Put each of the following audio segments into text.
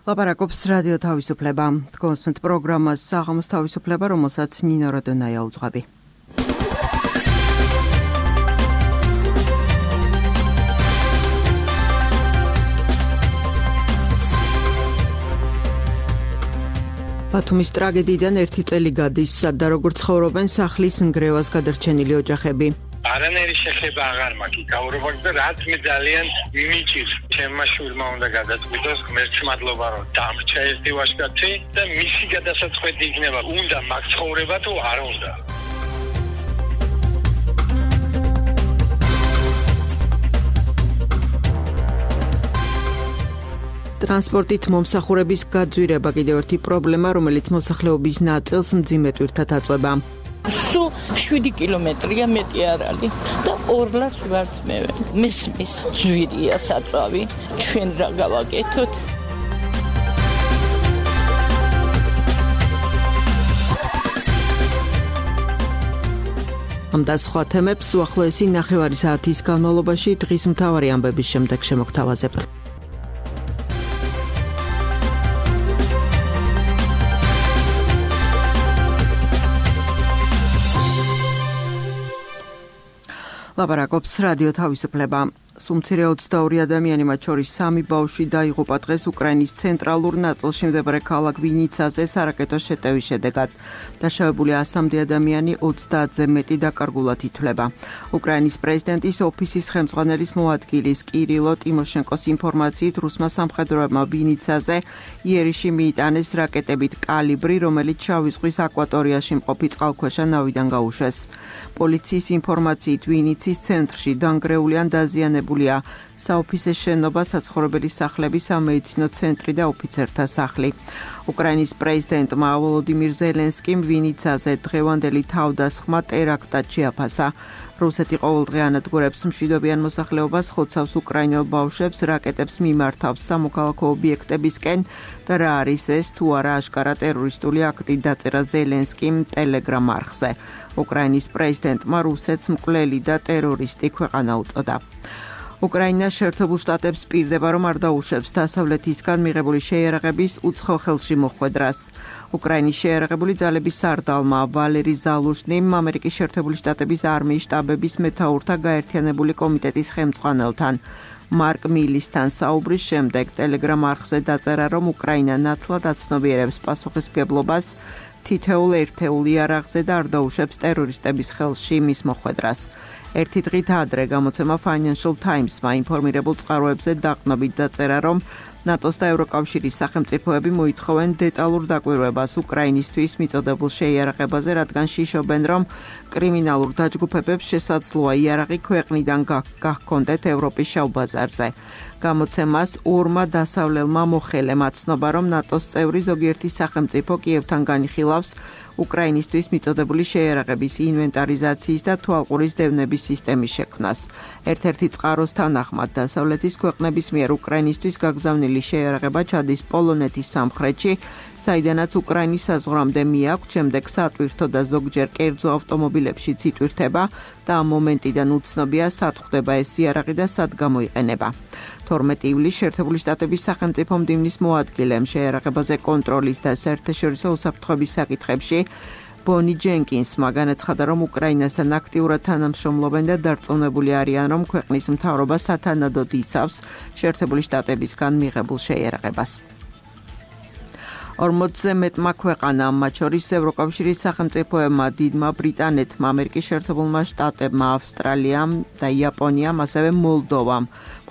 ლაპარაკობს რადიო თავისუფლება. კონსტანტ პროგრამას საღამოს თავისუფლება, რომელსაც ნინო როდონაია უძღვები. ბათუმის ტრაგედიიდან 1 წელი გადის, სადა როგორ ცხოვრობენ სახლის ნგრევას გადარჩენილი ოჯახები. არანაირი შეხება აღარ მაქვს გაურობაკ და რაც მე ძალიან მიჭირს ჩემმა შვილმა უნდა გადაწყვიტოს ღმერთს მადლობა რომ დამრჩა ერთი ვაჟკაცი და მისი გადასაწყვეტი იქნება უნდა მაგ ცხოვრება თუ არ უნდა. ტრანსპორტით მომსახურების გაძვირება კიდევ ერთი პრობლემა, რომელიც მოსახლეობის ნაწილს მძიმე ტვირთად აწვება. სულ 7 კილომეტრია მეტი არ არის და 2 ლარს ვართ მე. მესმის ძვირია საწვავი, ჩვენ რა გავაკეთოთ? ამ და სხვა თემებს უახლოესი 9 საათის განმავლობაში დღის მთავარი ამბების შემდეგ შემოგთავაზებთ. ლაპარაკობს რადიო თავისუფლება. სუმცირე 22 ადამიანი, მათ შორის 3 ბავშვი დაიღუპა დღეს უკრაინის ცენტრალურ ნაწილში მდებარე ქალაქ ვინიცაზე სარაკეტო შეტევის შედეგად. დაშავებული 100-მდე ადამიანი 30-ზე მეტი დაკარგულად ითვლება. უკრაინის პრეზიდენტის ოფისის ხელმძღვანელის მოადგილის კირილო ტიმოშენკოს ინფორმაციით, რუსმა სამხედროებმა ვინიცაზე იერიში მიიტანეს რაკეტებით კალიბრი, რომელიც შავი ზღვის აკვატორიაში მყოფი წყალქვეშა ნავიდან გაუშვეს. პოლიციის ინფორმაციით, ვინიცის ცენტრში დანგრეული ან დაზიანებულია საოფისე შენობა, საცხოვრებელი სახლები, სამედიცინო ცენტრი და ოფიცერთა სახლი. უკრაინის პრეზიდენტმა ვოლოდიმირ ზელენსკიმ ვინიცაზე დღევანდელი თავდასხმა ტერაქტად შეაფასა. რუსეთი ყოველდღე ანადგურებს მშვიდობიან მოსახლეობას, ხოცავს უკრაინელ ბავშვებს, რაკეტებს მიმართავს სამოქალაქო ობიექტებისკენ და რა არის ეს თუ არა აშკარა ტერორისტული აქტი, დაწერა ზელენსკიმ ტელეგრამ არხზე. უკრაინის პრეზიდენტმა რუსეთს მკვლელი და ტერორისტი ქვეყანა უწოდა. უკრაინა შეერთებულ შტატებს პირდება, რომ არ დაუშვებს დასავლეთისგან მიღებული შეიარაღების უცხო ხელში მოხვედრას. უკრაინის შეიარაღებული ძალების სარდალმა ვალერი ზალუშნიმ ამერიკის შეერთებული შტატების არმიის შტაბების მეთაურთა გაერთიანებული კომიტეტის ხელმძღვანელთან მარკ მილისთან საუბრის შემდეგ ტელეგრამ არხზე დაწერა, რომ უკრაინა ნათლად აცნობიერებს პასუხისმგებლობას თითოეულ ერთეულ იარაღზე და არ დაუშვებს ტერორისტების ხელში მის მოხვედრას. ერთი დღით ადრე გამოცემა Financial Times-მა ინფორმირებულ წყაროებზე დაყნობით დაწერა, რომ ნატოს და ევროკავშირის სახელმწიფოები მოითხოვენ დეტალურ დაკვირვებას უკრაინისთვის მიწოდებულ შეიარაღებაზე, რადგან შიშობენ, რომ კრიმინალურ დაჯგუფებებს შესაძლოა იარაღი ქვეყნიდან გահქონდეთ ევროპის შავ ბაზარზე. გამოცემას ორმა დასავლელმა მოხელემ აცნობა, რომ ნატოს წევრი ზოგიერთი სახელმწიფო კიევთან განიხილავს უკრაინისთვის მიწოდებული შეიარაღების ინვენტარიზაციის და თვალყურის დევნების სისტემის შექმნას. ერთ-ერთი წყაროს თანახმად დასავლეთის ქვეყნების მიერ უკრაინისთვის გაგზავნილი შეიარაღება ჩადის პოლონეთის სამხრეთში, საიდანაც უკრაინის საზღვრამდე მიაქვთ, შემდეგ სატვირთო და ზოგჯერ კერძო ავტომობილებშიც იტვირთება და ამ მომენტიდან უცნობია სად ხვდება ეს იარაღი და სად გამოიყენება. 12 ივლისს შეერთებული შტატების სახელმწიფო მდივნის მოადგილემ შეიარაღებაზე კონტროლის და საერთაშორისო უსაფრთხოების საკითხებში ბონი ჯენკინსმა განაცხადა, რომ უკრაინასთან აქტიურად თანამშრომლობენ და დარწმუნებული არიან, რომ ქვეყნის მთავრობა სათანადოდ იცავს შეერთებული შტატებისგან მიღებულ შეიარაღებას. 40-ზე მეტმა ქვეყანამ, მათ შორის ევროკავშირის სახელმწიფოებმა, დიდმა ბრიტანეთმა, ამერიკის შეერთებულმა შტატებმა, ავსტრალიამ და იაპონიამ, ასევე მოლდოვამ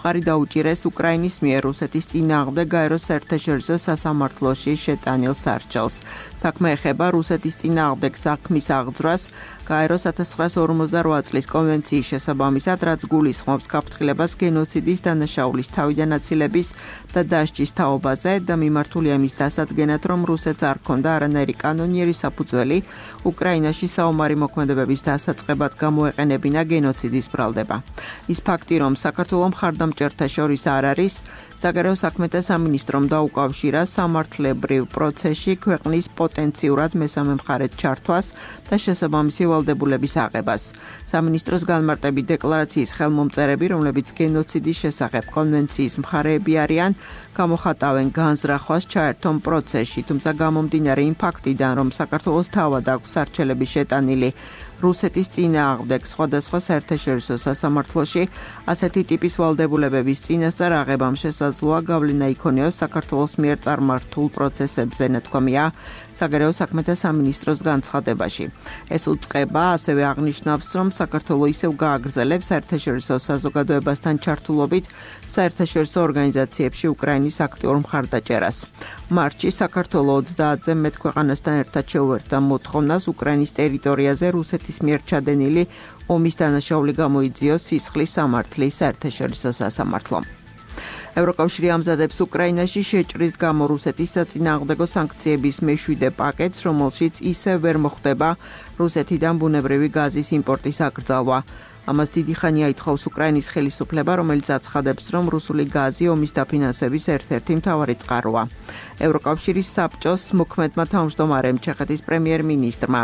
მხარი დაუჭირეს უკრაინის მიერ რუსეთის წინააღმდეგ გაეროს საერთაშორისო სასამართლოში შეტანილ სარჩელს. საქმე ეხება რუსეთის წინააღმდეგ საქმის აღძვრას გაეროს 1948 წლის კონვენციის შესაბამისად, რაც გულისხმობს გაფრთხილებას გენოციდის დანაშაულის თავიდან აცილების და დასჯის თაობაზე და მიმართულია მის დასადგენად, რომ რუსეთს არ ჰქონდა არანაირი კანონიერი საფუძველი უკრაინაში საომარი მოქმედებების დასაწყებად გამოეყენებინა გენოციდის ბრალდება. ის ფაქტი, რომ საქართველოს მხარდამჭერთა შორის არ არის, საგარეო საქმეთა სამინისტრომ დაუკავშირა სამართლებრივ პროცესში ქვეყნის პოტენციურად მესამე მხარედ ჩართვას და შესაბამისი ვალდებულების აღებას. სამინისტროს განმარტებით დეკლარაციის ხელმომწერები, რომლებიც გენოციდის შესახებ კონვენციის მხარეები არიან, გამოხატავენ განზრახვას ჩაერთონ პროცესში, თუმცა გამომდინარე იმ ფაქტიდან, რომ საქართველოს თავად აქვს სარჩელები შეტანილი რუსეთის წინააღმდეგ სხვადასხვა საერთაშორისო სასამართლოში, ასეთი ტიპის ვალდებულებების წინასწარ აღებამ შესაძლოა გავლენა იქონიოს საქართველოს მიერ წარმართულ პროცესებზე, ნათქვამია საგარეო საქმეთა სამინისტროს განცხადებაში. ეს უწყება ასევე აღნიშნავს, რომ საქართველო ისევ გააგრძელებს საერთაშორისო საზოგადოებასთან ჩართულობით საერთაშორისო ორგანიზაციებში უკრაინის აქტიურ მხარდაჭერას. მარტში საქართველო 30-ზე მეტ ქვეყანასთან ერთად შეუერთდა მოთხოვნას უკრაინის ტერიტორიაზე რუსეთის მიერ ჩადენილი ომის დანაშაული გამოიძიოს სისხლის სამართლის საერთაშორისო სასამართლომ. ევროკავშირი ამზადებს უკრაინაში შეჭრის გამო რუსეთის საწინააღმდეგო სანქციების მეშვიდე პაკეტს, რომელშიც ისევ ვერ მოხდება რუსეთიდან ბუნებრივი გაზის იმპორტის აკრძალვა. ამას დიდი ხანია ითხოვს უკრაინის ხელისუფლება, რომელიც აცხადებს, რომ რუსული გაზი ომის დაფინანსების ერთ-ერთი მთავარი წყაროა. ევროკავშირის საბჭოს მოქმედმა თავმჯდომარემ ჩეხეთის პრემიერ-მინისტრმა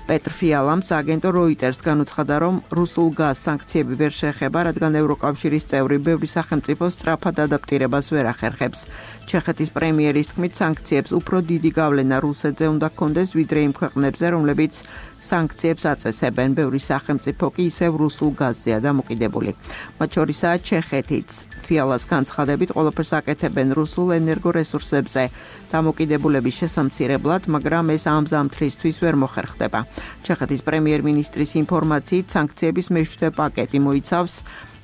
პეტრ ფიალამ სააგენტო როიტერს განუცხადა, რომ რუსულ გაზს სანქციები ვერ შეეხება, რადგან ევროკავშირის წევრი ბევრი სახელმწიფო სწრაფად ადაპტირებას ვერ ახერხებს. ჩეხეთის პრემიერის თქმით, სანქციებს უფრო დიდი გავლენა რუსეთზე უნდა ჰქონდეს, ვიდრე იმ ქვეყნებზე, რომლებიც სანქციებს აწესებენ. ბევრი სახელმწიფო კი ისევ რუსულ გაზზეა დამოკიდებული. მათ შორისაა ჩეხეთიც. ფიალას განცხადებით, ყველაფერს აკეთებენ რუსულ ენერგორესურსებზე დამოკიდებულების შესამცირებლად, მაგრამ ეს ამ ზამთრისთვის ვერ მოხერხდება. ჩეხეთის პრემიერ-მინისტრის ინფორმაციით, სანქციების მეშვიდე პაკეტი მოიცავს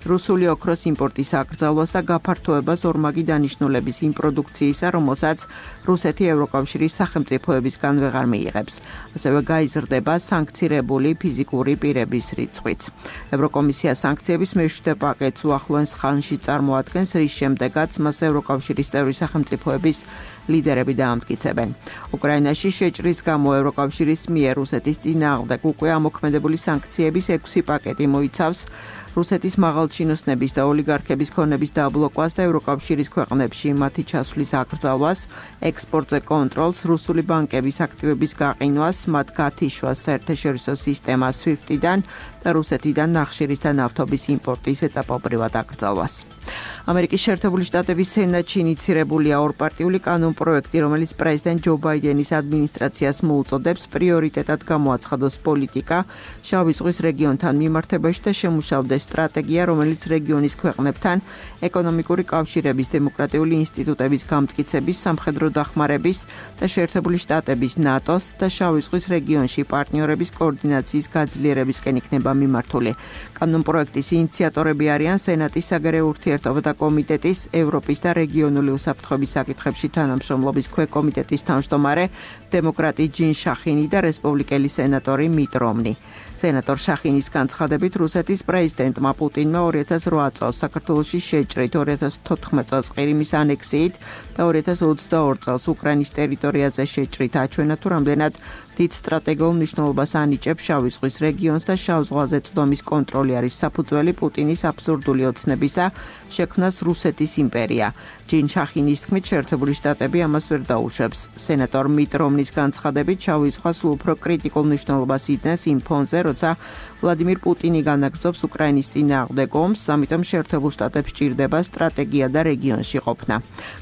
რუსული ოქროს იმპორტის აკრძალვას და გაფართოებას ორმაგი დანიშნულების იმ პროდუქციისა, რომელსაც რუსეთი ევროკავშირის სახელმწიფოებისგან ვეღარ მიიღებს. ასევე გაიზრდება სანქცირებული ფიზიკური პირების რიცხვიც. ევროკომისია სანქციების მეშვიდე პაკეტს უახლოეს ხანში წარმოადგენს, რის შემდეგაც მას ევროკავშირის წევრი სახელმწიფოების ლიდერები დაამტკიცებენ. უკრაინაში შეჭრის გამო ევროკავშირის მიერ რუსეთის წინააღმდეგ უკვე ამოქმედებული სანქციების 6 პაკეტი მოიცავს რუსეთის მაღალჩინოსნების და ოლიგარქების ქონების დაბლოკვას და ევროკავშირის ქვეყნებში მათი ჩასვლის აკრძალვას, ექსპორტზე კონტროლს, რუსული ბანკების აქტივების გაყინვას, მათ გათიშვას საერთაშორისო სისტემა SWIFT-დან და რუსეთიდან ნახშირის და ნავთობის იმპორტის ეტაპობრივად აკრძალვას. ამერიკის შეერთებული შტატების სენატში ინიცირებულია ორპარტიული კანონპროექტი, რომელიც პრეზიდენტ ჯო ბაიდენის ადმინისტრაციას მოუწოდებს პრიორიტეტად გამოაცხადოს პოლიტიკა შავი ზღვის რეგიონთან მიმართებაში და შემუშავდეს სტრატეგია, რომელიც რეგიონის ქვეყნებთან ეკონომიკური კავშირების, დემოკრატიული ინსტიტუტების გამტკიცების, სამხედრო დახმარების და შეერთებული შტატების, ნატოს და შავი ზღვის რეგიონში პარტნიორების კოორდინაციის გაძლიერებისკენ იქნება მიმართული. კანონპროექტის ინიციატორები არიან სენატის საგარეო ურთიერთობათა კომიტეტის, ევროპის და რეგიონული უსაფრთხოების საკითხებში თანამშრომლობის ქვეკომიტეტის თავმჯდომარე დემოკრატი ჯინ შახინი და რესპუბლიკელი სენატორი მიტ რომნი. სენატორ შახინის განცხადებით, რუსეთის პრეზიდენტმა პუტინმა 2008 წელს საქართველოში შეჭრით, 2014 წელს ყირიმის ანექსიით და 2022 წელს უკრაინის ტერიტორიაზე შეჭრით აჩვენა, თუ რამდენად დიდ სტრატეგიულ მნიშვნელობას ანიჭებს შავი ზღვის რეგიონს და შავ ზღვაზე წვდომის კონტროლი არის საფუძველი პუტინის აბსურდული ოცნებისა შექმნას რუსეთის იმპერია. ჯინ შახინის თქმით, შეერთებული შტატები ამას ვერ დაუშვებს. სენატორ მიტ რომნის განცხადებით, შავი ზღვა სულ უფრო კრიტიკულ მნიშვნელობას იძენს იმ ფონზე, როცა ვლადიმირ პუტინი განაგრძობს უკრაინის წინააღმდეგ ომს, ამიტომ შეერთებულ შტატებს სჭირდება სტრატეგია და რეგიონში ყოფნა.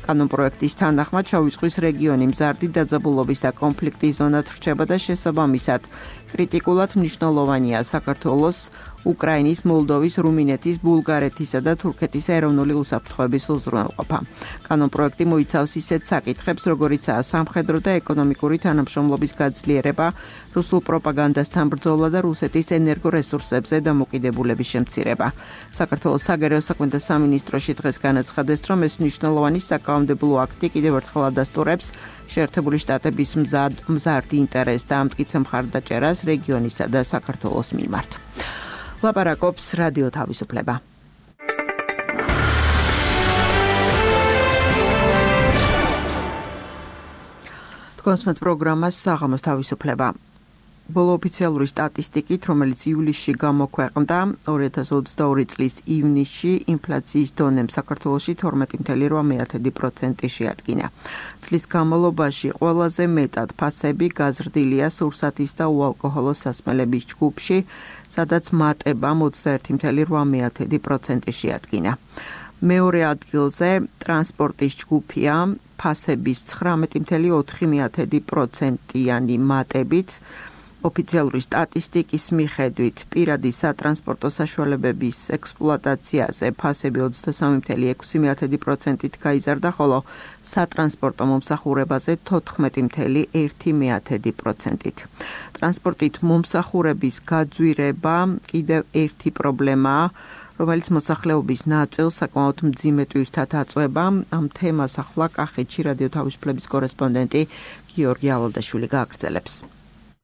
კანონპროექტის თანახმად, შავი ზღვის რეგიონი მზარდი დაძაბულობის და კონფლიქტის ზონად რჩება და შესაბამისად კრიტიკულად მნიშვნელოვანია საქართველოს, უკრაინის, მოლდოვის, რუმინეთის, ბულგარეთისა და თურქეთის ეროვნული უსაფრთხოების უზრუნველყოფა. კანონპროექტი მოიცავს ისეთ საკითხებს, როგორიცაა სამხედრო და ეკონომიკური თანამშრომლობის გაძლიერება, რუსულ პროპაგანდასთან ბრძოლა და რუსეთის ენერგორესურსებზე დამოკიდებულების შემცირება. საქართველოს საგარეო საქმეთა სამინისტროში დღეს განაცხადეს, რომ ეს მნიშვნელოვანი საკანონმდებლო აქტი კიდევ ერთხელ ადასტურებს შეერთებული შტატების მზარდ ინტერესს და ამტკიცებს მხარდაჭერას რეგიონისა და საქართველოს მიმართ. ლაპარაკობს რადიო თავისუფლება. თქვენს პროგრამას საღამოს თავისუფლება. ბოლო ოფიციალური სტატისტიკით, რომელიც ივლისში გამოქვეყნდა, 2022 წლის ივნისში ინფლაციის დონემ საქართველოში 12.8% შეადგინა. წლის განმავლობაში ყველაზე მეტად ფასები გაზრდილია სურსათის და უალკოჰოლო სასმელების ჯგუფში, სადაც მატებამ 21.8% შეადგინა. მეორე ადგილზე ტრანსპორტის ჯგუფია ფასების 19.4%-იანი მატებით. ოფიციალური სტატისტიკის მიხედვით, პირადი სატრანსპორტო საშუალებების ექსპლუატაციაზე ფასები 23.6%-ით გაიზარდა, ხოლო სატრანსპორტო მომსახურებაზე 14.1%-ით. ტრანსპორტით მომსახურების გაძვირება კიდევ ერთი პრობლემაა, რომელიც მოსახლეობის ნაწილს საკმაოდ მძიმე ტვირთად აწვება. ამ თემას ახლა კახეთში რადიო თავისუფლების კორესპონდენტი გიორგი ალადაშვილი გააგრძელებს.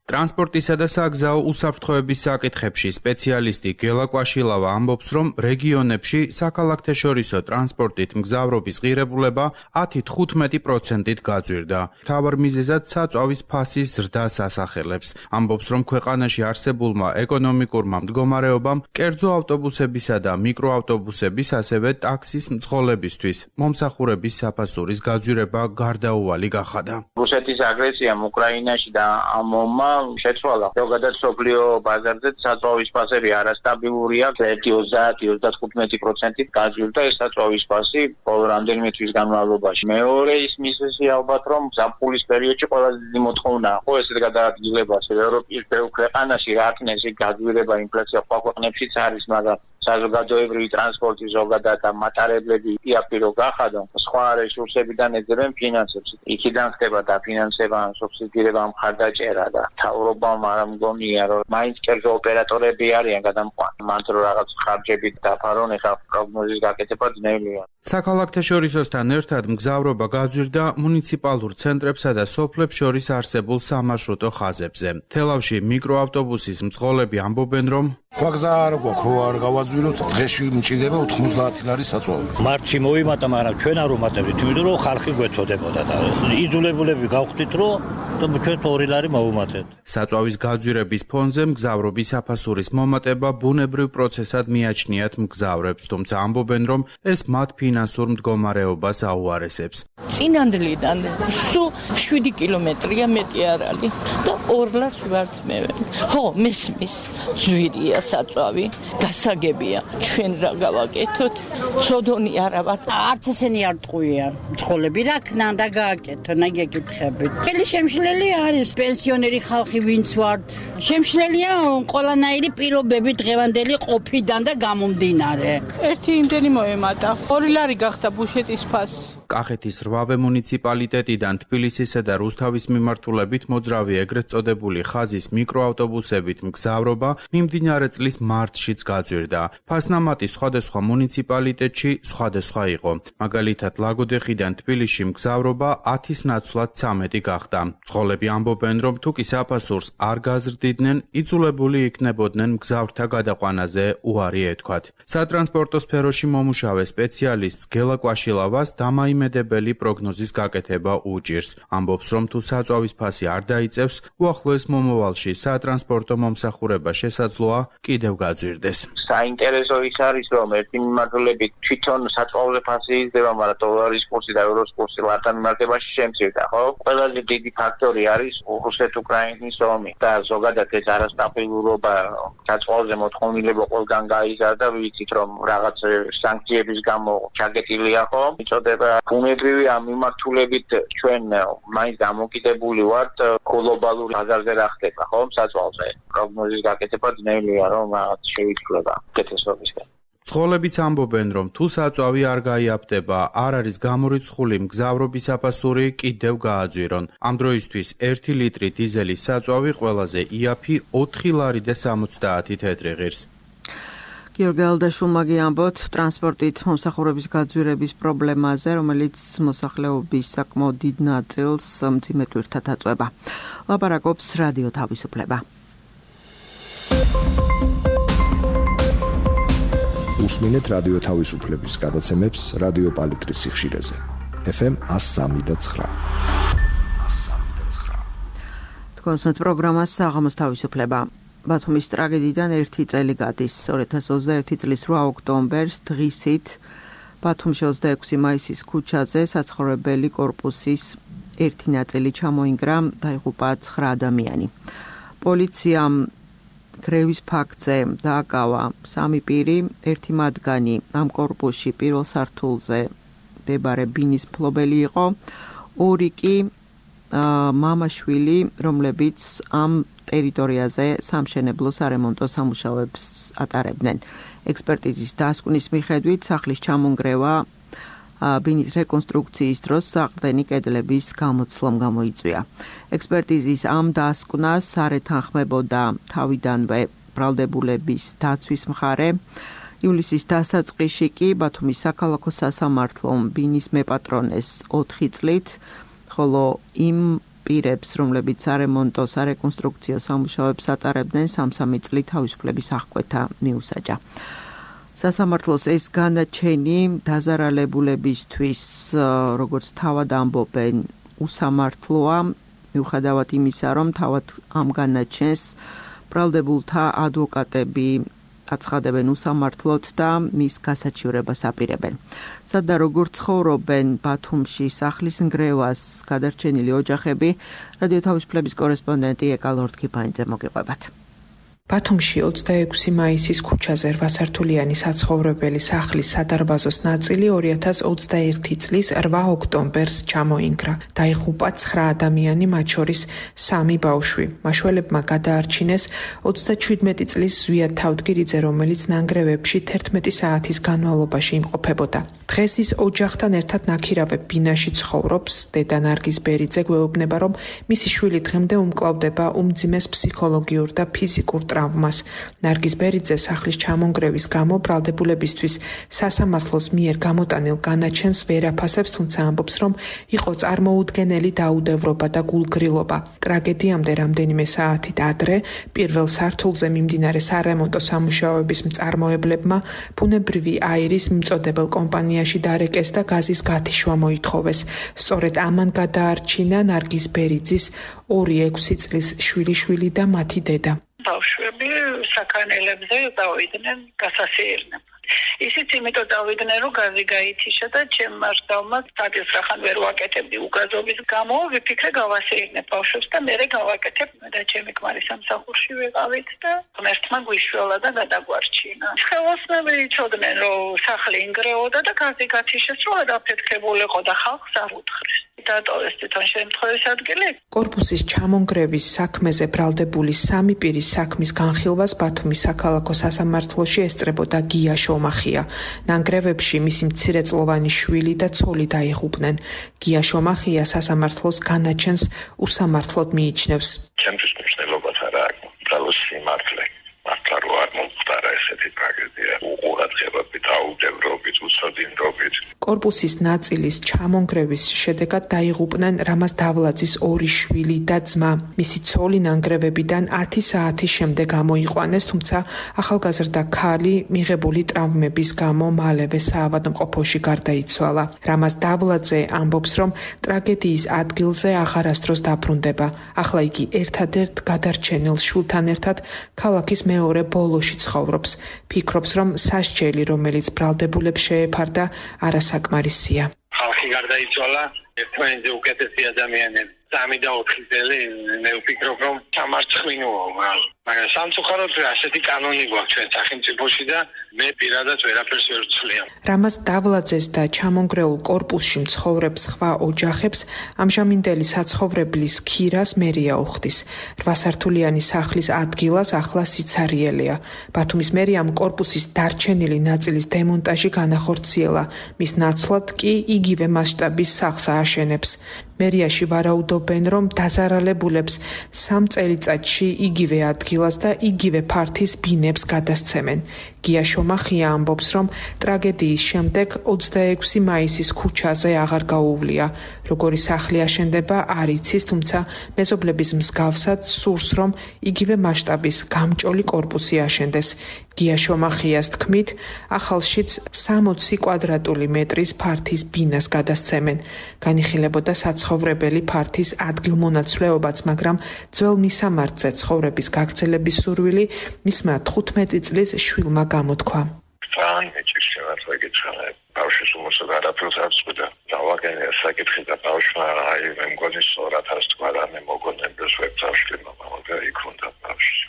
ტრანსპორტისა და საგზაო უსაფრთხოების საკითხებში სპეციალისტი გელა კვაშილავა ამბობს, რომ რეგიონებში საქალაქთეშორისო ტრანსპორტით მგზავრობის ღირებულება 10-15%-ით გაძვირდა. მთავარ მიზეზად საწვავის ფასის ზრდას ასახელებს. ამბობს, რომ ქვეყანაში არსებულმა ეკონომიკურმა მდგომარეობამ კერძო ავტობუსებისა და მიკროავტობუსების, ასევე ტაქსის მძღოლებისთვის მომსახურების საფასურის გაძვირება გარდაუვალი გახადა. რუსეთის აგრესიამ უკრაინაში და ამომმა შეცვალა. ზოგადად სოფლიო ბაზარზე საწვავის ფასები არასტაბილურია, 30-35%-ით გაძვირდა ეს საწვავის ფასი ბოლო რამდენიმე თვის განმავლობაში. მეორე ის მიზეზი ალბათ, რომ ზაფხულის პერიოდში ყველაზე დიდი მოთხოვნაა, ხო, ესეთ გადაადგილებას ევროპის ბევრ ქვეყანაში რაკნესი გაძვირება ინფლაცია ქვეყნებშიც არის, მაგრამ საზოგადოებრივი ტრანსპორტი ზოგადად და მატარებლები იაფირო გახადო, სხვა რესურსებიდან ეძებენ ფინანსებს. იქიდან ხდება დაფინანსება, სუბსიდირება, მხარდაჭერა და მთავრობამ არ მგონია, რომ მაინც კერძო ოპერატორები არიან გადამყვანი. მანდ რო რაღაც ხარჯები დაფარონ, ეხლა პროგნოზის გაკეთება ძნელია. საქალაქთეშორისოსთან ერთად მგზავრობა გაძვირდა მუნიციპალურ ცენტრებსა და სოფლებს შორის არსებულ სამარშრუტო ხაზებზე. თელავში მიკროავტობუსის მძღოლები ამბობენ, რომ სხვა გზა არ გვაქვს, რო არ გავაძვიროთ, დღეში მჭირდება 90 ლარი საწვავი. მარტში მოვიმატა, მაგრამ ჩვენ არ ვუმატებთ, იმიტომ რომ ხალხი გვეთოდებოდა და იძულებულები გავხდით, რომ ჩვენ 2 ლარი მოვუმატეთ. საწვავის გაძვირების ფონზე მგზავრობის საფასურის მომატება ბუნებრივ პროცესად მიაჩნიათ მგზავრებს, თუმცა ამბობენ, რომ ეს მათ ფინანსურ მდგომარეობას აუარესებს. წინანდლიდან სულ 7 კილომეტრია მეტი არ არის და 2 ლარს ვარწმევენ. ხო, მესმის ძვირია საწვავი, გასაგებია, ჩვენ რა გავაკეთოთ? სოდონი არა ვარ. არც ესენი არ ტყუია. მძღოლები რა ქნა და გააკეთონ, აი გეკითხებით. ხელი შემშლელი არის პენსიონერი ხალხი ვინც ვართ. შემშლელია ყველანაირი პირობები დღევანდელი ყოფიდან და გამომდინარე. ერთი იმდენი მოემატა. 2 ლარი გახდა ბუშეტის ფასი. კახეთის 8 მუნიციპალიტეტიდან თბილისისა და რუსთავის მიმართულებით მოძრავი ეგრეთ წოდებული ხაზის მიკროავტობუსებით მგზავრობა მიმდინარე წლის მარტშიც გაძვირდა. ფასნამატი სხვადასხვა მუნიციპალიტეტში სხვადასხვა იყო. მაგალითად, ლაგოდეხიდან თბილისში მგზავრობა 10-ის ნაცვლად 13 გახდა. მძღოლები ამბობენ, რომ თუ კი საფასურს არ გაზრდიდნენ, იძულებული იქნებოდნენ მგზავრთა გადაყვანაზე უარი ეთქვათ. სატრანსპორტო სფეროში მომუშავე სპეციალისტ გელა კვაშილავას დამაიმედებელი პროგნოზის გაკეთება უჭირს. ამბობს, რომ თუ საწვავის ფასი არ დაიწევს, უახლოეს მომავალში სატრანსპორტო მომსახურება შესაძლოა კიდევ გაძვირდეს. საინტერესო ის არის, რომ ერთი მიმართულებით თვითონ საწვავზე ფასი იზრდება, მაგრამ დოლარის კურსი და ევროს კურსი ლართან მიმართებაში შემცირდა, ხო? ყველაზე დიდი ფაქტორი არის რუსეთ-უკრაინის ომი და ზოგადად ეს არასტაბილურობა საწვავზე მოთხოვნილება ყველგან გაიზარდა, ვიცით რომ რაღაც სანქციების გამო ჩაგეტილია, ხო? იწოდება ბუნებრივი ამ მიმართულებით ჩვენ მაინც დამოკიდებული ვართ გლობალურ ბაზარზე რა ხდება, ხო? საწვავზე პროგნოზის გაკეთება ძნელია, რომ რაღაც შეიცვლება კეთესობისგან. მძღოლებიც ამბობენ, რომ თუ საწვავი არ გაიაფდება, არ არის გამორიცხული მგზავრობის საფასური კიდევ გააძვირონ. ამ დროისთვის 1 ლიტრი დიზელის საწვავი ყველაზე იაფი 4 ლარი და 70 თეთრი ღირს. გიორგი ალადაშვილმა გიამბოთ ტრანსპორტით მომსახურების გაძვირების პრობლემაზე, რომელიც მოსახლეობის საკმაოდ დიდ ნაწილს მძიმე ტვირთად აწვება. ლაპარაკობს რადიო თავისუფლება. უსმინეთ რადიო თავისუფლების გადაცემებს რადიო პალიტრის სიხშირეზე. FM 103.9. კონსმეთ პროგრამას საღამოს თავისუფლება. ბათუმის ტრაგედიიდან 1 წელი გადის. 2021 წლის 8 ოქტომბერს დღისით ბათუმში 26 მაისის ქუჩაზე საცხოვრებელი კორპუსის ერთი ნაწილი ჩამოინგრა, დაიღუპა 9 ადამიანი. პოლიციამ გრევის ფაქტზე დააკავა 3 პირი, ერთი მათგანი ამ კორპუსში პირველ სართულზე მდებარე ბინის მფლობელი იყო, 2 კი მამაშვილი, რომლებიც ამ ტერიტორიაზე სამშენებლო სარემონტო სამუშაოებს ატარებდნენ. ექსპერტიზის დასკვნის მიხედვით სახლის ჩამონგრევა ბინის რეკონსტრუქციის დროს საყრდენი კედლების გამოცვლამ გამოიწვია. ექსპერტიზის ამ დასკვნას არ ეთანხმებოდა თავიდანვე ბრალდებულების დაცვის მხარე. ივლისის დასაწყისში კი ბათუმის საქალაქო სასამართლომ ბინის მეპატრონეს 4 წლით, ხოლო იმ პირებს, რომლებიც სარემონტო სარეკონსტრუქციო სამუშაოებს ატარებდნენ, 3 წლით თავისუფლების აღკვეთა მიუსაჯა. სასამართლოს ეს განაჩენი დაზარალებულებისთვის, როგორც თავად ამბობენ, უსამართლოა, მიუხედავად იმისა, რომ თავად ამ განაჩენს ბრალდებულთა ადვოკატები აცხადებენ უსამართლოდ და მის გასაჩივრებას აპირებენ. სადა როგორ ცხოვრობენ ბათუმში სახლის ნგრევას გადარჩენილი ოჯახები, რადიო თავისუფლების კორესპონდენტი ეკა ლორდ-კიფაინძე მოგიყვებათ. ბათუმში 26 მაისის ქუჩაზე 8 სართულიანი საცხოვრებელი სახლის სადარბაზოს ნაწილი 2021 წლის 8 ოქტომბერს ჩამოინგრა. დაიღუპა 9 ადამიანი, მათ შორის 3 ბავშვი. მაშველებმა გადაარჩინეს 37 წლის ზვიად თავდგირიძე, რომელიც ნანგრევებში 11 საათის განმავლობაში იმყოფებოდა. დღეს ის ოჯახთან ერთად ნაქირავებ ბინაში ცხოვრობს. დედა ნარგიზ ბერიძე გვეუბნება, რომ მისი შვილი დღემდე უმკლავდება უმძიმეს ფსიქოლოგიურ და ფიზიკურ ტრავმას. ნარგიზ ბერიძე სახლის ჩამონგრევის გამო ბრალდებულებისთვის სასამართლოს მიერ გამოტანილ განაჩენს ვერ აფასებს, თუმცა ამბობს, რომ იყო წარმოუდგენელი დაუდევრობა და გულგრილობა. ტრაგედიამდე რამდენიმე საათით ადრე პირველ სართულზე მიმდინარე სარემონტო სამუშაოების მწარმოებლებმა ბუნებრივი აირის მიმწოდებელ კომპანიაში დარეკეს და გაზის გათიშვა მოითხოვეს. სწორედ ამან გადაარჩინა ნარგიზ ბერიძის 2-6 წლის შვილიშვილი და მათი დედა. ბავშვები საქანელებზე დავიდნენ გასასეირნებლად. ისიც იმიტომ დავიდნენ, რომ გაზი გაითიშა და ჩემ მართავმა სტატიას რახან ვერ ვაკეთებდი უგაზობის გამო, ვიფიქრე გავასეირნებ ბავშვებს და მერე გავაკეთებ და ჩემი ქმარი სამსახურში ვიყავით და ღმერთმა გვიშველა და გადაგვარჩინა. ხელოსნები იცოდნენ, რომ სახლი ინგრეოდა და გაზი გათიშეს, რომ დაფეთქებულიყო და ხალხს არ უთხრეს. დატოვეს თვითონ შემთხვევის ადგილი. კორპუსის ჩამონგრევის საქმეზე ბრალდებული 3 პირის საქმის განხილვას ბათუმის საქალაქო სასამართლოში ესწრებოდა გია შომახია. ნანგრევებში მისი მცირეწლოვანი შვილი და ცოლი დაიღუპნენ. გია შომახია სასამართლოს განაჩენს უსამართლოდ მიიჩნევს. ჩემთვის მნიშვნელობას არ აქვს ბრალოს სიმართლე. მართლა რო არ მომხდარა ესეთი ტრაგედია, უყურადღებებით, დაუდევრობით, უცოდინდობით. კორპუსის ნაწილის ჩამონგრევის შედეგად დაიღუპნენ რამაზ დავლაძის 2 შვილი და ძმა. მისი ცოლი ნანგრევებიდან 10 საათის შემდეგ გამოიყვანეს, თუმცა ახალგაზრდა ქალი მიღებული ტრავმების გამო მალევე საავადმყოფოში გარდაიცვალა. რამაზ დავლაძე ამბობს, რომ ტრაგედიის ადგილზე აღარასდროს დაბრუნდება. ახლა იგი ერთადერთ გადარჩენილ შვილთან ერთად ქალაქის მეორე ბოლოში ცხოვრობს. ფიქრობს, რომ სასჯელი, რომელიც ბრალდებულებს შეეფარდა, არასაკმარისია. ხალხი გარდაიცვალა, ერთმანეთზე უკეთესი ადამიანები. 3 და 4 წელი მე ვფიქრობ, რომ სამარცხინოა, მაგრამ სამწუხაროდ ასეთი კანონი გვაქვს ჩვენ სახელმწიფოში და მე პირადად ვერაფერს ვერ ვცვლიან. რამაზ დავლაძეს და ჩამონგრეულ კორპუსში მცხოვრებ სხვა ოჯახებს ამჟამინდელი საცხოვრებლის ქირას მერია უხდის. 8 სართულიანი სახლის ადგილას ახლა სიცარიელია. ბათუმის მერიამ კორპუსის დარჩენილი ნაწილის დემონტაჟი განახორციელა. მის ნაცვლად კი იგივე მასშტაბის სახლს ააშენებს. მერიაში ვარაუდობენ, რომ დაზარალებულებს 3 წელიწადში იგივე ადგილას და იგივე ფართის ბინებს გადასცემენ. გია შომახია ამბობს, რომ ტრაგედიის შემდეგ 26 მაისის ქუჩაზე აღარ გაუვლია. როგორი სახლი აშენდება არ იცის, თუმცა მეზობლების მსგავსად სურს, რომ იგივე მასშტაბის გამჭოლი კორპუსი აშენდეს. გია შომახიას თქმით, ახალშიც 60 კვადრატული მეტრის ფართის ბინას გადასცემენ. განიხილებოდა საცხოვრებელი ფართის ადგილმონაცვლეობაც, მაგრამ ძველ მისამართზე ცხოვრების გაგრძელების სურვილი მისმა 15 წლის შვილმა გამოთქვა. ბავშვის უმოსა არაფერს არ წვიდა. დავაგენია საკითხი და ბავშვმა მე მგონი სწორად არ თქვა და მე მოგონებდეს ვებძავში მაგრამ იქ უნდა ბავშვი.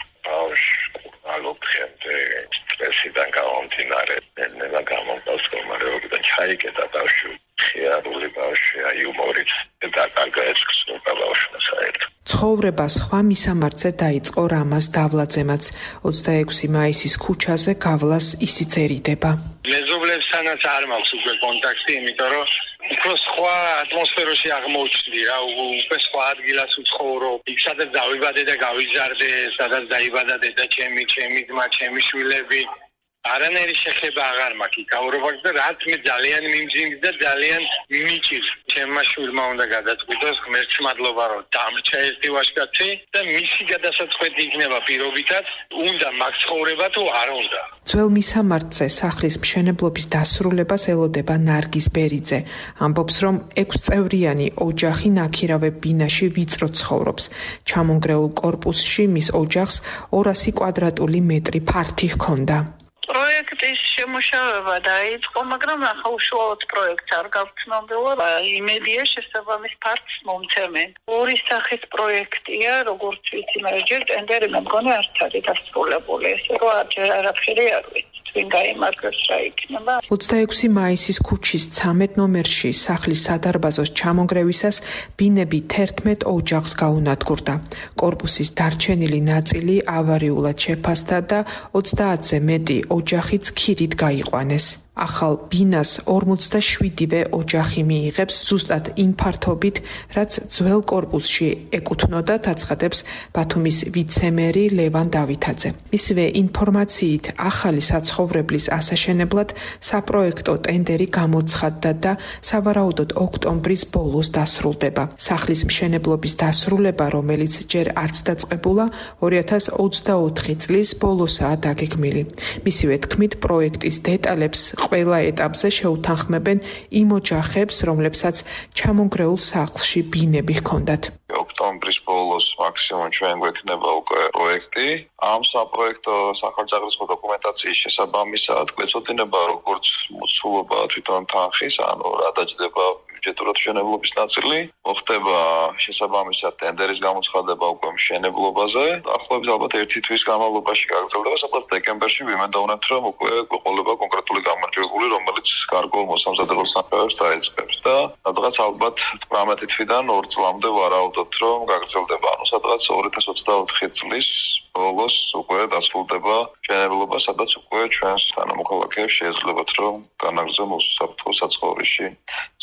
ალობხემდე სტრესიდან გამომდინარე ნელა გამომდას კომარეობიდან ჩაიკეტა ბავშვი. ხიარული ბავშვი იუმორით და კარგაეცქს ბავშვმა საერთოდ. ცხოვრება სხვა მისამართზე დაიწყო რამაზ დავლაძემაც. 26 მაისის ქუჩაზე გავლას ისიცერიდება. მეზობლებსთანაც არ მაქვს უკვე კონტაქტი, იმიტომ რომ უფრო სხვა ატმოსფეროში აღმოჩნდი რა, უკვე სხვა ადგილას ვცხოვრობ. იქ სადაც დავიბადე და გავიზარდე, სადაც დაიბადა დედა ჩემი, ჩემი ძმა, ჩემი შვილები. არანაირი შეხება აღარ მაქვს იქ აურობაც და რაც მე ძალიან მიმძიმს და ძალიან მიჭირს. ჩემმა შვილმა უნდა გადაწყვიტოს, ღმერთს მადლობა რომ დამრჩა ერთი ვაჟკაცი და მისი გადასაწყვეტი იქნება პირობითად, უნდა მაგ ცხოვრება თუ არ უნდა. ძველ მისამართზე სახლის მშენებლობის დასრულებას ელოდება ნარგიზ ბერიძე. ამბობს, რომ 6 წევრიანი ოჯახი ნაქირავე ბინაში ვიწრო ცხოვრობს. ჩამონგრეულ კორპუსში მის ოჯახს 200 კვადრატული მეტრი ფართი ჰქონდა. პროექტის შემუშავება დაიწყო, მაგრამ ახლა უშუალოდ პროექტს არ გავცნობილა. იმედია შესაბამის ფართს მომცემენ. ორი სახის პროექტია, როგორც ვიცი, მაგრამ ჯერ ტენდერი მე მგონი არ არის დასრულებული. ესე რომ არაფერი არ ვიცი. ვინ გაიმარჯვებს რა იქნება. 26 მაისის ქუჩის 13 ნომერში სახლის სადარბაზოს ჩამონგრევისას ბინები 11 ოჯახს გაუნადგურდა. კორპუსის დარჩენილი ნაწილი ავარიულად შეფასდა და 30-ზე მეტი ოჯახიც ქირით გაიყვანეს. ახალ ბინას 47-ვე ოჯახი მიიღებს ზუსტად იმ ფართობით, რაც ძველ კორპუსში ეკუთვნოდა, აცხადებს ბათუმის ვიცე-მერი ლევან დავითაძე. მისივე ინფორმაციით, ახალი საცხოვრებლის ასაშენებლად საპროექტო ტენდერი გამოცხადდა და სავარაუდოდ ოქტომბრის ბოლოს დასრულდება. სახლის მშენებლობის დასრულება, რომელიც ჯერ არც დაწყებულა, 2024 წლის ბოლოსაა დაგეგმილი. მისივე თქმით, პროექტის დეტალებს ყველა ეტაპზე შეუთანხმებენ იმ ოჯახებს, რომლებსაც ჩამონგრეულ სახლში ბინები ჰქონდათ. ოქტომბრის ბოლოს მაქსიმუმ ჩვენ გვექნება უკვე პროექტი. ამ საპროექტო სახელმწიფო დოკუმენტაციის შესაბამისად გვეწოდინება როგორც მოცულობა თვითონ თანხის, ანუ რა დაჯდება ბიუჯეტურად მშენებლობის ნაწილი, მოხდება შესაბამისად ტენდერის გამოცხადება უკვე მშენებლობაზე. ახლობით ალბათ 1 თვის განმავლობაში გაგრძელდება, სადაც დეკემბერში ვიმედოვნებთ, რომ უკვე გვეყოლება კონკრეტული გამარჯვებული, რომელიც კარგო მოსამზადებელ სამუშაოებს დაიწყებს და სადღაც ალბათ 18 თვიდან 2 წლამდე ვარაუდობთ, რომ გაგრძელდება. ანუ სადღაც 2024 წლის ბოლოს უკვე დასრულდება მშენებლობა, სადაც უკვე ჩვენს თანამოქალაქეებს შეეძლებათ, რომ განაგრძო მოსაფრთხო საცხოვრისში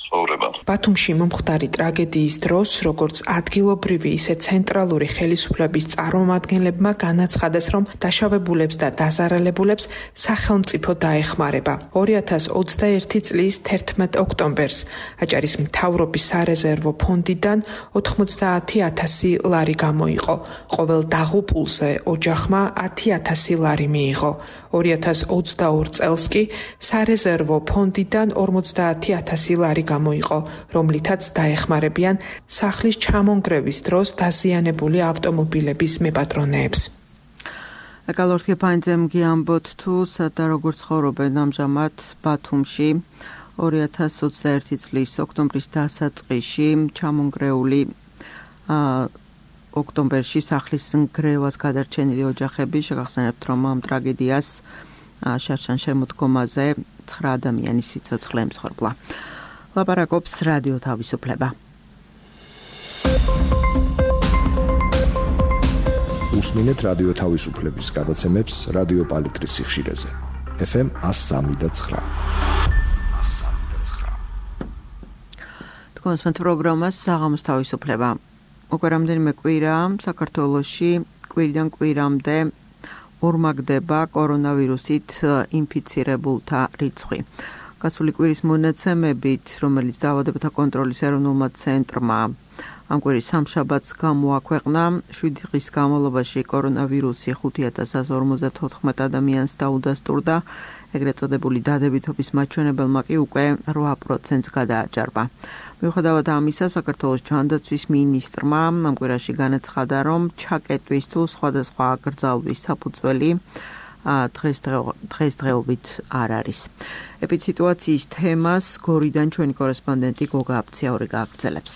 ცხოვრება. ბათუმში მომხდარი ტრაგედიის დროს, როგორც ადგილობრივი, ისე ცენტრალური ხელისუფლების წარმომადგენლებმა განაცხადეს, რომ დაშავებულებს და დაზარალებულებს სახელმწიფო დაეხმარება. 2021 წლის 11 ოქტომბერს აჭარის მთავრობის სარეზერვო ფონდიდან 90.000 ლარი გამოიყო. ყოველ დაღუპულზე ოჯახმა 10.000 ლარი მიიღო. 2022 წელს კი სარეზერვო ფონდიდან 50.000 ლარი გამოიყო, რომლითაც დაეხმარებიან სახლის ჩამონგრევის დროს დაზიანებული ავტომობილების მეპატრონეებს. ეკალორთი ფაინძემ გიამბოთ თუ სადა როგორ ცხოვრობენ ამჟამად ბათუმში 2021 წლის ოქტომბრის დასაწყისში ჩამონგრეული ოქტომბერში სახლის ნგრევას გადარჩენილი ოჯახები შეგახსენებთ, რომ ამ ტრაგედიას შარშან შემოდგომაზე 9 ადამიანის სიცოცხლე ემსხვერპლა. ლაპარაკობს რადიო თავისუფლება. უსმინეთ რადიო თავისუფლების გადაცემებს რადიო პალიტრის სიხშირეზე. FM 103.9. თქვენს პროგრამას საღამოს თავისუფლება. უკვე რამდენიმე კვირა საქართველოში კვირიდან კვირამდე ორმაგდება კორონავირუსით ინფიცირებულთა რიცხვი. გასული კვირის მონაცემებით, რომელიც დაავადებათა კონტროლის ეროვნულმა ცენტრმა ამ კვირის სამშაბათს გამოაქვეყნა. 7 დღის განმავლობაში კორონავირუსი 5054 ადამიანს დაუდასტურდა. ეგრეთ წოდებული დადებითობის მაჩვენებელმა კი უკვე 8%-ს გადააჭარბა. მიუხედავად ამისა, საქართველოს ჯანდაცვის მინისტრმა ამ კვირაში განაცხადა, რომ ჩაკეტვის თუ სხვადასხვა აკრძალვის საფუძველი დღესდღეობით არ არის. ეპიდემიის თემას გორიდან ჩვენი კორესპონდენტი გოგა აფციაური გააგრძელებს.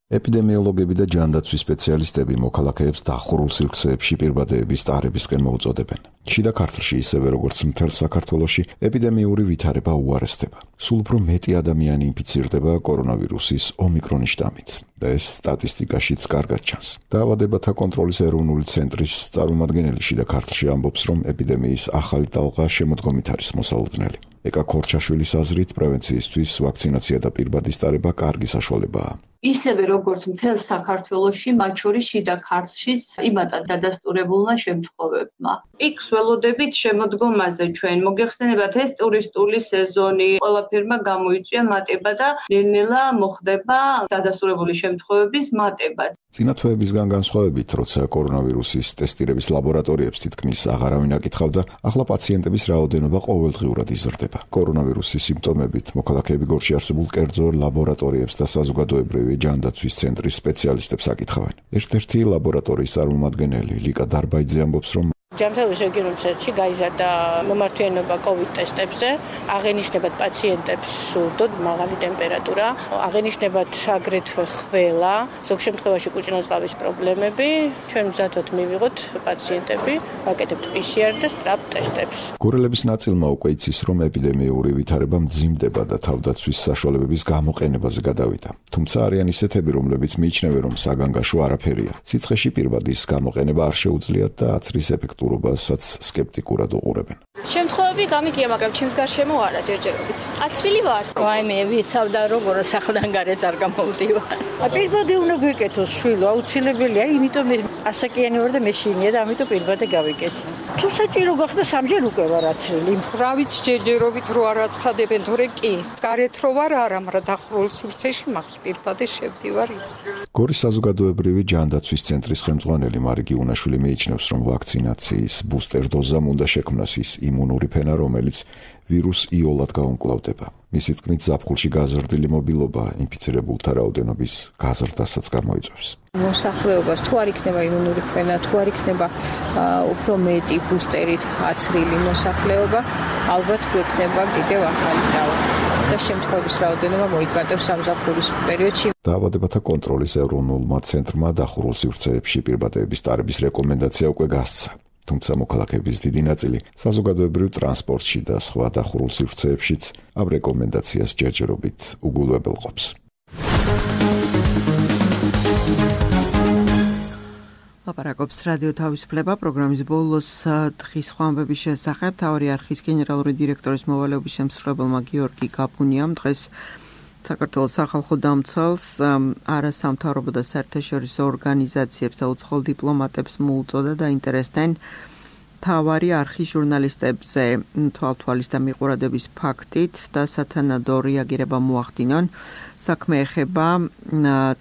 ეპიდემიოლოგები და ჯანდაცვის სპეციალისტები მოქალაქეებს დახურულ სივრცეებში პირბადეების ტარებისკენ მოუწოდებენ. შიდა ქართლში ისევე როგორც მთელ საქართველოში ეპიდემიური ვითარება უარესდება. სულ უფრო მეტი ადამიანი ინფიცირდება კორონავირუსის ომიკრონის შტამით და ეს სტატისტიკაშიც კარგად ჩანს. დაავადებათა კონტროლის ეროვნული ცენტრის წარმომადგენელი შიდა ქართლში ამბობს, რომ ეპიდემიის ახალი ტალღა შემოდგომით არის მოსალოდნელი. ეკა ქორჩაშვილის აზრით, პრევენციისთვის ვაქცინაცია და პირბადის ტარება კარგი საშუალებაა. ისევე როგორც მთელ საქართველოში, მათ შორის შიდა ქართლშიც იმატად დადასტურებულმა შემთხვევებმა. პიკს ველოდებით შემოდგომაზე ჩვენ. მოგეხსენებათ, ეს ტურისტული სეზონი, ყველაფერმა გამოიწვია მატება და ნელ-ნელა მოხდება დადასტურებული შემთხვევების მატებაც. წინა თვეებისგან განსხვავებით, როცა კორონავირუსის ტესტირების ლაბორატორიებს თითქმის აღარავინ აკითხავდა, ახლა პაციენტების რაოდენობა ყოველდღიურად იზრდება. კორონავირუსის სიმპტომებით მოქალაქეები გორში არსებულ კერძო ლაბორატორიებს და საზოგადოებრივი ჯანდაცვის ცენტრის სპეციალისტებს აკითხავენ. ერთ-ერთი ლაბორატორიის წარმომადგენელი ლიკა დარბაიძე ამბობს, რომ ჯანმრთელობის რეგიონულ ცენტრში გაიზარდა მომართვიანობა COVID ტესტებზე, აღენიშნებათ პაციენტებს სურდოდ მაღალი ტემპერატურა, აღენიშნებათ აგრეთვე ხველა, ზოგ შემთხვევაში კუჭნაძღავის პრობლემები. ჩვენ მზადვართ მივიღოთ პაციენტები, ვაკეთებთ PCR და სწრაფ ტესტებს. გორელების ნაწილმა უკვე იცის, რომ ეპიდემიური ვითარება მძიმდება და თავდაცვის საშუალებების გამოყენებაზე გადავიდა. თუმცა არიან ისეთები, რომლებიც მიიჩნევენ, რომ საგანგაშო არაფერია. სიცხეში პირბადის გამოყენება არ შეუძლიათ და აცრის ეფექტურობასაც სკეპტიკურად უყურებენ. შემთხვევები გამიგია, მაგრამ ჩემს გარშემო არა ჯერჯერობით. აცრილი ვარ. ვაიმე, ვიცავდა როგორ სახლიდან გარეთ არ გამოვდივარ. პირბადე უნდა გვიკეთოს შვილო, აუცილებელია, იმიტომ ასაკიანი ვარ და მეშინია და ამიტომ პირბადე გავიკეთე. თუ საჭირო გახდა სამჯერ უკვე ვარ აცრილი. რა ვიცი ჯერჯერობით რო არ აცხადებენ, თორე კი. გარეთ რო ვარ არა, მაგრამ დახურულ სივრცეში მაქვს პირბადე შევდივარ ის. გორის საზოგადოებრივი ჯანდაცვის ცენტრის ხელმძღვანელი მარგი უნაშვილი მიიჩნევს, რომ ვაქცინაციის ბუსტერ დოზამ უნდა შექმნას ის იმუნური ფენა, რომელიც ვირუს იოლად გაუმკლავდება. მისი თქმით, ზაფხულში გაზრდილი მობილობა ინფიცირებულთა რაოდენობის გაზრდასაც გამოიწვევს. მოსახლეობას თუ არ იქნება იმუნური ფენა, თუ არ იქნება უფრო მეტი ბუსტერით აცრილი მოსახლეობა, ალბათ გვექნება კიდევ ახალი დავა და შემთხვევების რაოდენობა მოიტბატებს სამზაფხულის პერიოდში. დაავადებათა კონტროლის ეროვნულმა ცენტრმა დახურულ სივრცეებში პირბადეების ტარების რეკომენდაცია უკვე გასცა. თუმცა მოქალაქეების დიდი ნაწილი საზოგადოებრივ ტრანსპორტში და სხვა დახურულ სივრცეებშიც ამ რეკომენდაციას ჯერჯერობით უგულებელყოფს. ლაპარაკობს რადიო თავისუფლება პროგრამის ბოლოს დღის ხვამბების შესახებ. მთავარი არქივის გენერალური დირექტორის მოვალეობის შემსრულებელმა გიორგი გაბუნიამ დღეს საქართველოს სახალხო დამცველს, არასამთავრობო და საერთაშორისო ორგანიზაციებს და უცხოელ დიპლომატებს მოუწოდა დაინტერესდნენ მთავარი არქივის ჟურნალისტებზე თვალთვალის და მიყურადების ფაქტით და სათანადო რეაგირება მოახდინონ. საქმე ეხება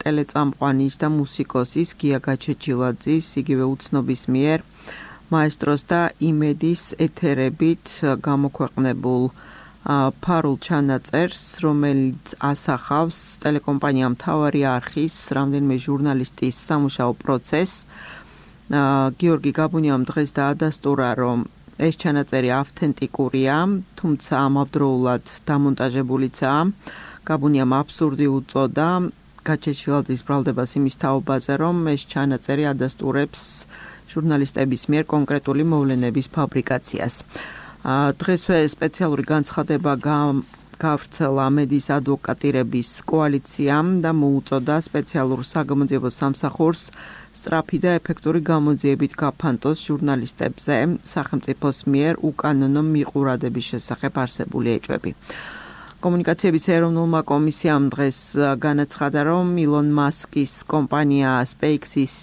ტელეწამყვანის და მუსიკოსის გია გაჩეჩილაძის, იგივე უცნობის მიერ მაესტროს და იმედის ეთერებით გამოქვეყნებულ ფარულ ჩანაწერს, რომელიც ასახავს ტელეკომპანია მთავარი არქის რამდენიმე ჟურნალისტის სამუშაო პროცესს. გიორგი გაბუნიამ დღეს დაადასტურა, რომ ეს ჩანაწერი ავთენტიკურია, თუმცა ამავდროულად დამონტაჟებულიცაა. გაბუნიამ აბსურდი უწოდა გაჩეჩილაძის ბრალდებას იმის თაობაზე, რომ ეს ჩანაწერი ადასტურებს ჟურნალისტების მიერ კონკრეტული მოვლენების ფაბრიკაციას. დღესვე სპეციალური განცხადება გავრცელა მედის ადვოკატირების კოალიციამ და მოუწოდა სპეციალურ საგამოძიებო სამსახურს სწრაფი და ეფექტური გამოძიებით გაფანტოს ჟურნალისტებზე სახელმწიფოს მიერ უკანონო მიყურადების შესახებ არსებული ეჭვები. კომუნიკაციების ეროვნულმა კომისიამ დღეს განაცხადა, რომ ილონ მასკის კომპანია SpaceX-ის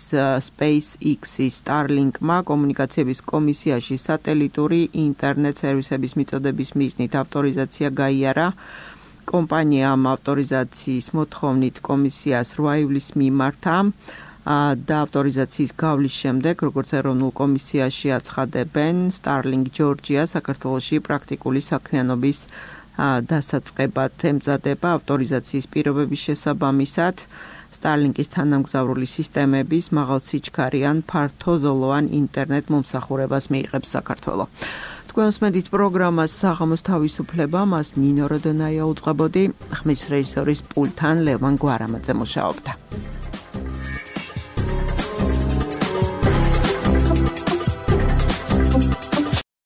Starlink-მა კომუნიკაციების კომისიაში სატელიტური ინტერნეტ სერვისების მიწოდების მიზნით ავტორიზაცია გაიარა კომპანია ამ ავტორიზაციის მოთხოვნით კომისიას 8 ივლისს მიმართა და ავტორიზაციის გავლის შემდეგ, როგორც ეროვნულ კომისიაში აცხადებენ, Starlink Georgia საქართველოში პრაქტიკული საქმიანობის დასაწყებად ემზადება ავტორიზაციის პირობების შესაბამისად. Starlink-ის თანამგზავრული სისტემების მაღალსიჩქარიან ფართოზოლოვან ინტერნეტ მომსახურებას მიიღებს საქართველო. თქვენს მედით პროგრამას საღამოს თავისუფლება მას ნინო როდონაია უწყებოდი, ხმის რეჟისორის პულტთან ლევან გვარამაძე მუშაობდა.